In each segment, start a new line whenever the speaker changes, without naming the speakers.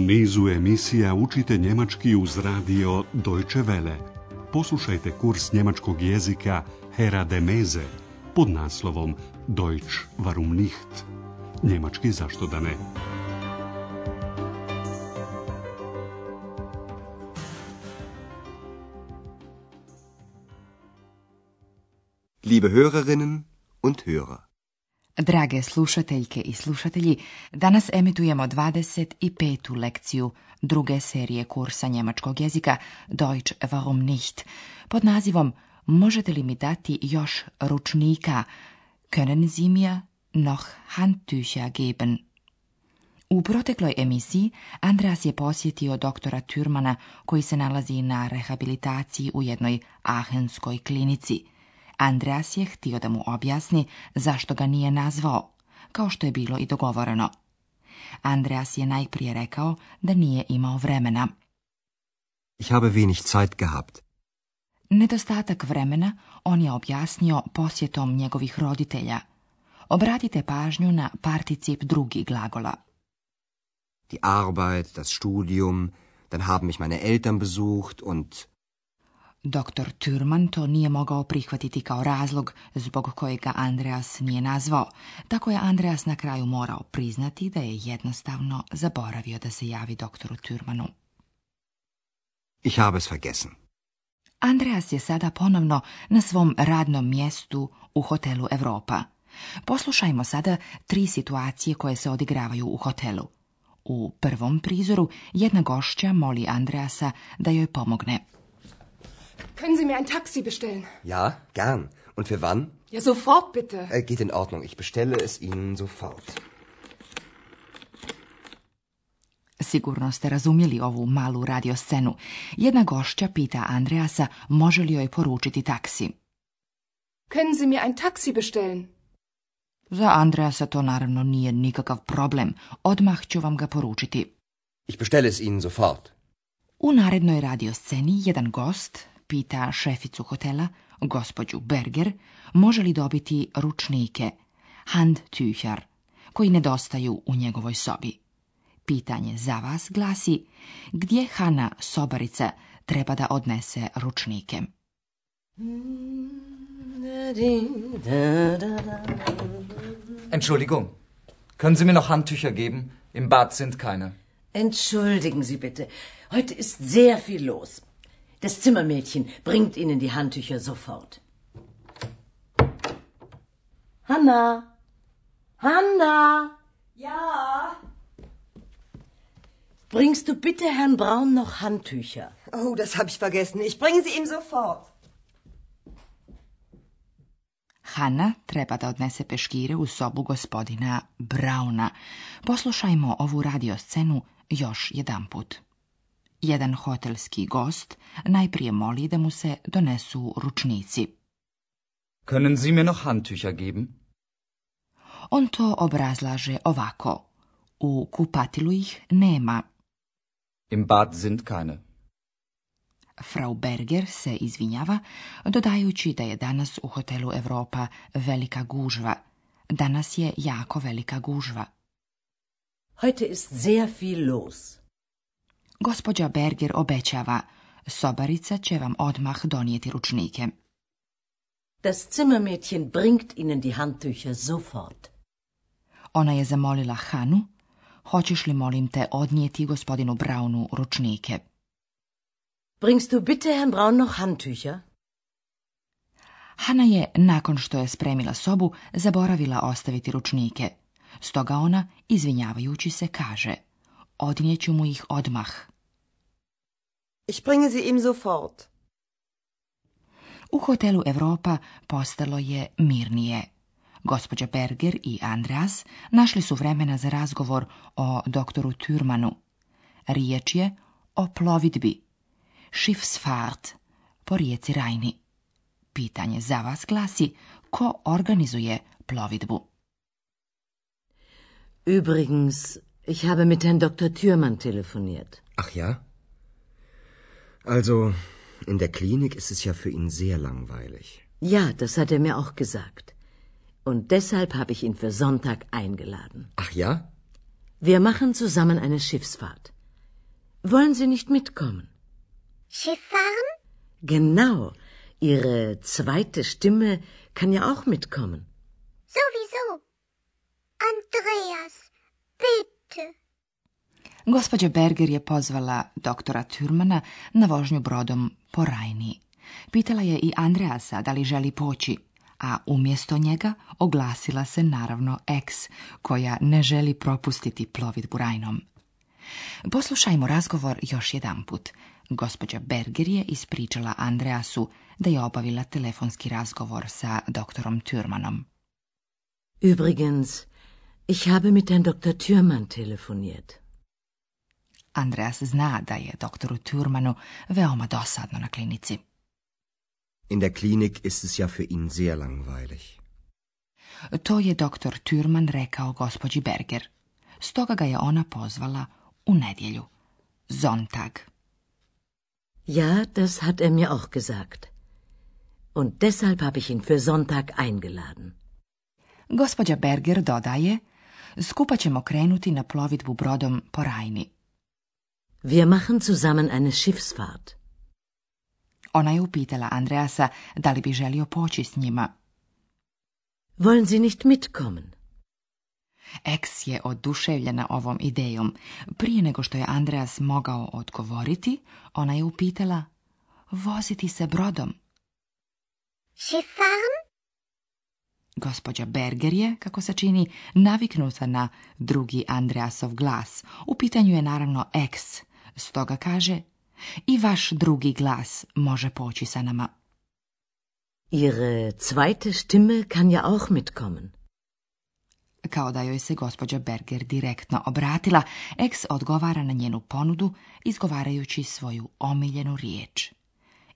nizu emisija učite njemački uz radio Deutsche Welle. Poslušajte kurs njemačkog jezika Hera de Meze pod naslovom Deutsch warum nicht? Njemački zašto da ne?
Liebe Hörerinnen und Hörer.
Drage slušateljke i slušatelji, danas emitujemo 25. lekciju druge serije kursa njemačkog jezika Deutsch warum nicht pod nazivom Možete li mi dati još ručnika? Können Sie mir noch Handtücher geben? U protekloj emisiji Andreas je posjetio doktora Thürmana koji se nalazi na rehabilitaciji u jednoj Aachenskoj klinici. Andreas je htio da mu objasni zašto ga nije nazvao, kao što je bilo i dogovoreno. Andreas je najprije rekao da nije imao vremena.
Ich habe wenig Zeit gehabt.
Nedostatak vremena on je objasnio posjetom njegovih roditelja. Obratite pažnju na particip drugi glagola.
Die Arbeit, das Studium, dann haben mich meine Eltern besucht und...
Doktor Thürman to nije mogao prihvatiti kao razlog zbog kojeg ga Andreas nije nazvao, tako je Andreas na kraju morao priznati da je jednostavno zaboravio da se javi doktoru Thürmanu.
Ich habe es vergessen.
Andreas je sada ponovno na svom radnom mjestu u hotelu Europa. Poslušajmo sada 3 situacije koje se odigravaju u hotelu. U prvom prizoru jedna gošća moli Andreasa da joj pomogne.
Können Sie mir ein Taxi bestellen?
Ja, gern. Und für wann?
Ja, sofort bitte.
Geht in Ordnung. Ich bestelle es Ihnen sofort.
Sigurno ste razumjeli ovu malu radioscenu. Jedna gošća pita Andreasa može li joj poručiti taksi.
Können Sie mir ein Taxi bestellen?
Za Andreasa to naravno nije nikakav problem. Odmah ću vam ga poručiti.
Ich bestelle es Ihnen sofort.
U narednoj radiosceni jedan gost pita šeficu hotela, gospođu Berger, može li dobiti ručnike, Handtücher, koji nedostaju u njegovoj sobi. Pitanje za vas glasi, gdje Hanna, sobarica, treba da odnese ručnike?
Entschuldigung, können Sie mir noch Handtücher geben? Im Bad sind keine.
Entschuldigen Sie bitte, heute ist sehr viel los. Das Zimmermädchen bringt Ihnen die Handtücher sofort. Hanna! Hanna!
Ja?
Bringst du bitte Herrn Braun noch Handtücher?
Oh, das habe ich vergessen. Ich bringe sie ihm sofort.
Hanna treba da odnese peškire u sobu gospodina Brauna. Poslušajmo ovu radioscenu još jedanput. Jedan hotelski gost najprije moli da mu se donesu ručnici.
Können Sie mir noch Handtücher geben?
On to obrazlaže ovako. U kupatilu ih nema.
Im Bad sind keine.
Frau Berger se izvinjava, dodajući da je danas u hotelu Europa velika gužva. Danas je jako velika gužva.
Heute ist sehr viel los.
Gospođa Berger obećava, sobarica će vam odmah donijeti ručnike.
Das Zimmermädchen bringt Ihnen die Handtücher sofort.
Ona je zamolila Hanu, hoćeš li molim te odnijeti gospodinu Braunu ručnike?
Bringst du bitte Herrn Braun noch Handtücher?
Hana je, nakon što je spremila sobu, zaboravila ostaviti ručnike. Stoga ona, izvinjavajući se, kaže, odnijeću mu ih odmah.
Ich bringe sie ihm sofort.
U hotelu Europa postalo je mirnije. Gospođa Berger i Andreas našli su vremena za razgovor o doktoru Thürmanu. Riječ je o plovidbi, Schiffsfahrt, po rijeci Rajni. Pitanje za vas glasi, ko organizuje plovidbu?
Übrigens, ich habe mit Herrn Dr. Thürmann telefoniert.
Ach ja? Also, in der Klinik ist es ja für ihn sehr langweilig.
Ja, das hat er mir auch gesagt. Und deshalb habe ich ihn für Sonntag eingeladen.
Ach ja?
Wir machen zusammen eine Schiffsfahrt. Wollen Sie nicht mitkommen?
Schiff fahren?
Genau. Ihre zweite Stimme kann ja auch mitkommen.
Sowieso. Andreas, bitte.
Gospođa Berger je pozvala doktora Thürmana na vožnju brodom po Rajni. Pitala je i Andreasa da li želi poći, a umjesto njega oglasila se naravno Eks, koja ne želi propustiti plovidbu Rajnom. Poslušajmo razgovor još jedanput. Gospođa Berger je ispričala Andreasu da je obavila telefonski razgovor sa doktorom Thürmanom.
Übrigens, ich habe mit Herrn Dr. Thürmann telefoniert.
Andreas zna da je doktoru Thürmanu veoma dosadno na klinici.
In der Klinik ist es ja für ihn sehr langweilig.
To je doktor Thürman rekao gospođi Berger. Stoga ga je ona pozvala u nedjelju. Sonntag.
Ja, das hat er mir auch gesagt. Und deshalb habe ich ihn für Sonntag eingeladen.
Gospođa Berger dodaje, skupa ćemo krenuti na plovidbu brodom po Rajni.
Wir machen zusammen eine Schiffsfahrt.
Ona je upitala Andreasa da li bi želio poći s njima.
Wollen Sie nicht mitkommen?
Eks je oduševljena ovom idejom. Prije nego što je Andreas mogao odgovoriti, ona je upitala, voziti se brodom.
Schiff fahren?
Gospođa Berger je, kako se čini, naviknuta na drugi Andreasov glas. U pitanju je naravno Eks, stoga kaže, i vaš drugi glas može poći sa nama.
Ihre zweite Stimme kann ja auch mitkommen.
Kao da joj se gospođa Berger direktno obratila, Eks odgovara na njenu ponudu, izgovarajući svoju omiljenu riječ.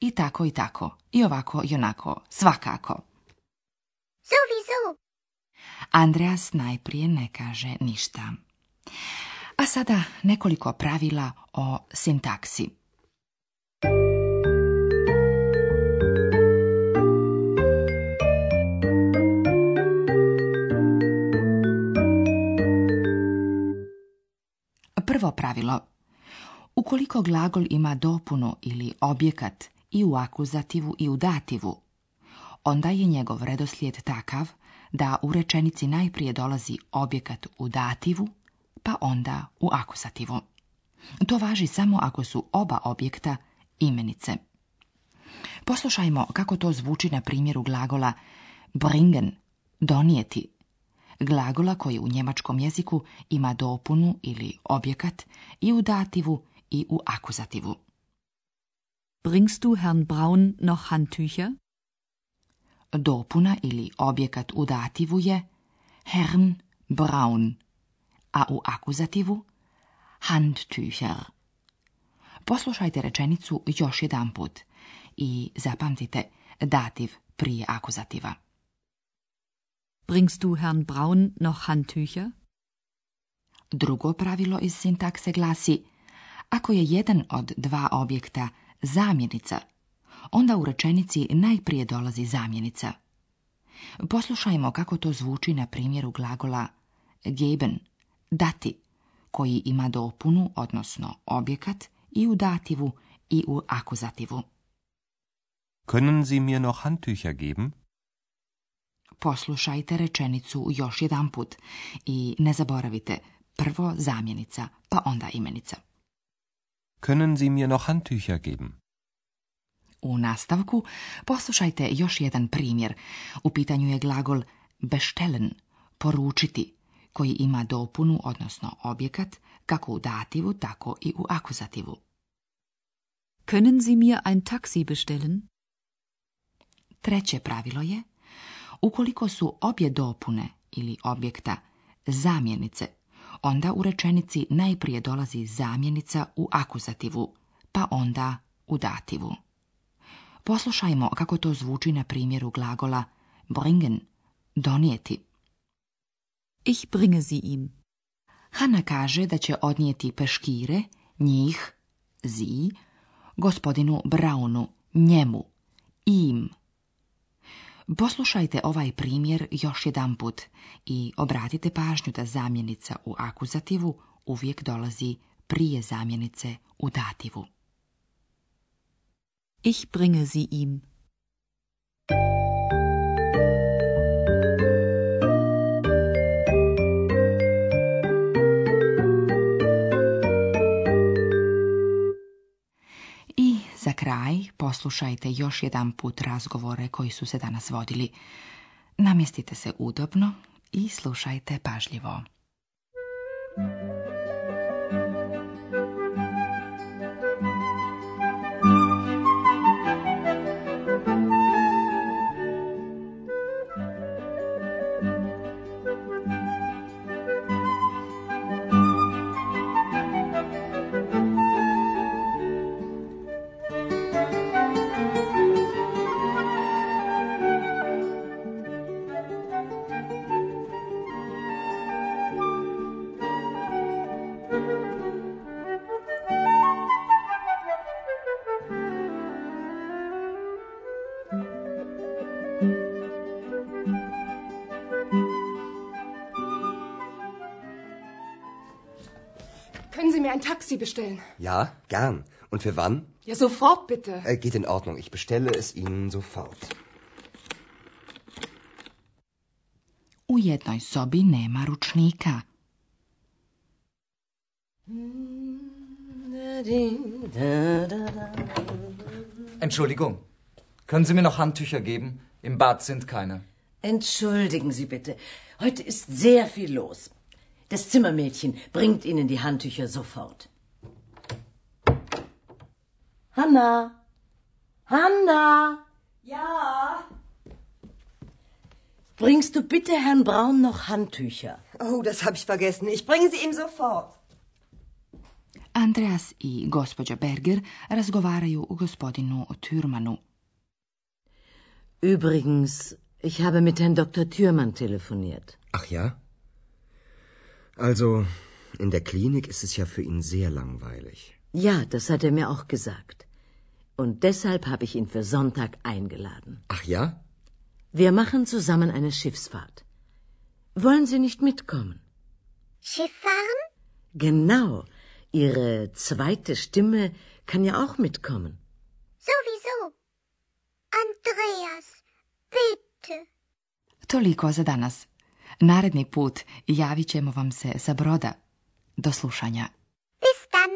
I tako, i ovako, i onako, svakako.
Sowieso.
Andreas najprije ne kaže ništa. A sada nekoliko pravila o sintaksi. Prvo pravilo. Ukoliko glagol ima dopunu ili objekat i u akuzativu i u dativu, onda je njegov redoslijed takav da u rečenici najprije dolazi objekat u dativu, pa onda u akuzativu. To važi samo ako su oba objekta imenice. Poslušajmo kako to zvuči na primjeru glagola bringen, donijeti, glagola koji u njemačkom jeziku ima dopunu ili objekat i u dativu i u akuzativu.
Bringst du Herrn Braun noch Handtücher?
Dopuna ili objekat u dativu je Herrn Braun, a u akuzativu Handtücher. Poslušajte rečenicu još jedanput i zapamtite dativ prije akuzativa.
Bringst du Herrn Braun noch Handtücher?
Drugo pravilo iz sintakse glasi, ako je jedan od dva objekta zamjenica, onda u rečenici najprije dolazi zamjenica. Poslušajmo kako to zvuči na primjeru glagola geben, dati, koji ima dopunu, odnosno objekat, i u dativu i u akuzativu.
Können Sie mir noch Handtücher geben?
Poslušajte rečenicu još jedanput i ne zaboravite, prvo zamjenica, pa onda imenica.
Können Sie mir noch Handtücher geben?
U nastavku poslušajte još jedan primjer. U pitanju je glagol bestellen, poručiti, koji ima dopunu, odnosno objekat, kako u dativu, tako i u akuzativu.
Können Sie mir ein Taxi bestellen?
Treće pravilo je, ukoliko su obje dopune ili objekta zamjenice, onda u rečenici najprije dolazi zamjenica u akuzativu, pa onda u dativu. Poslušajmo kako to zvuči na primjeru glagola bringen, donijeti.
Ich bringe sie ihm.
Hanna kaže da će odnijeti peškire, njih, sie, gospodinu Braunu, njemu, im. Poslušajte ovaj primjer još jedanput i obratite pažnju da zamjenica u akuzativu uvijek dolazi prije zamjenice u dativu.
Ich bringe sie ihm.
I za kraj poslušajte još jedan put razgovore koji su se danas vodili. Namjestite se udobno i slušajte pažljivo.
Können Sie mir ein Taxi bestellen?
Ja, gern. Und für wann?
Ja, sofort bitte.
Geht in Ordnung. Ich bestelle es Ihnen sofort.
U jednoj sobi nema ručnika.
Entschuldigung, können Sie mir noch Handtücher geben? Im Bad sind keine.
Entschuldigen Sie bitte. Heute ist sehr viel los. Das Zimmermädchen bringt Ihnen die Handtücher sofort. Hanna! Hanna!
Ja.
Bringst du bitte Herrn Braun noch Handtücher?
Oh, das habe ich vergessen. Ich bringe sie ihm sofort.
Andreas i gospođa Berger razgovaraju o gospodinu Thürmanu.
Übrigens, ich habe mit Herrn Dr. Thürmann telefoniert.
Ach ja? Also, in der Klinik ist es ja für ihn sehr langweilig.
Ja, das hat er mir auch gesagt. Und deshalb habe ich ihn für Sonntag eingeladen.
Ach ja?
Wir machen zusammen eine Schiffsfahrt. Wollen Sie nicht mitkommen?
Schiff fahren?
Genau. Ihre zweite Stimme kann ja auch mitkommen.
Sowieso. Andreas, bitte.
Toliko za danas. Naredni put javit ćemo vam se sa broda. Do slušanja.
Bis dann.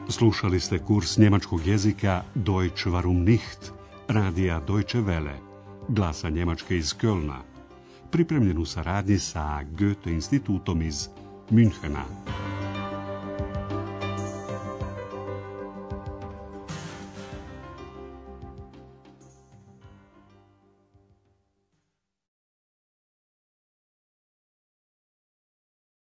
Slušali ste kurs njemačkog jezika Deutsch warum nicht, radija Deutsche Welle, glasa Njemačke iz Kölna, pripremljen u saradnji sa Goethe institutom iz Münchena.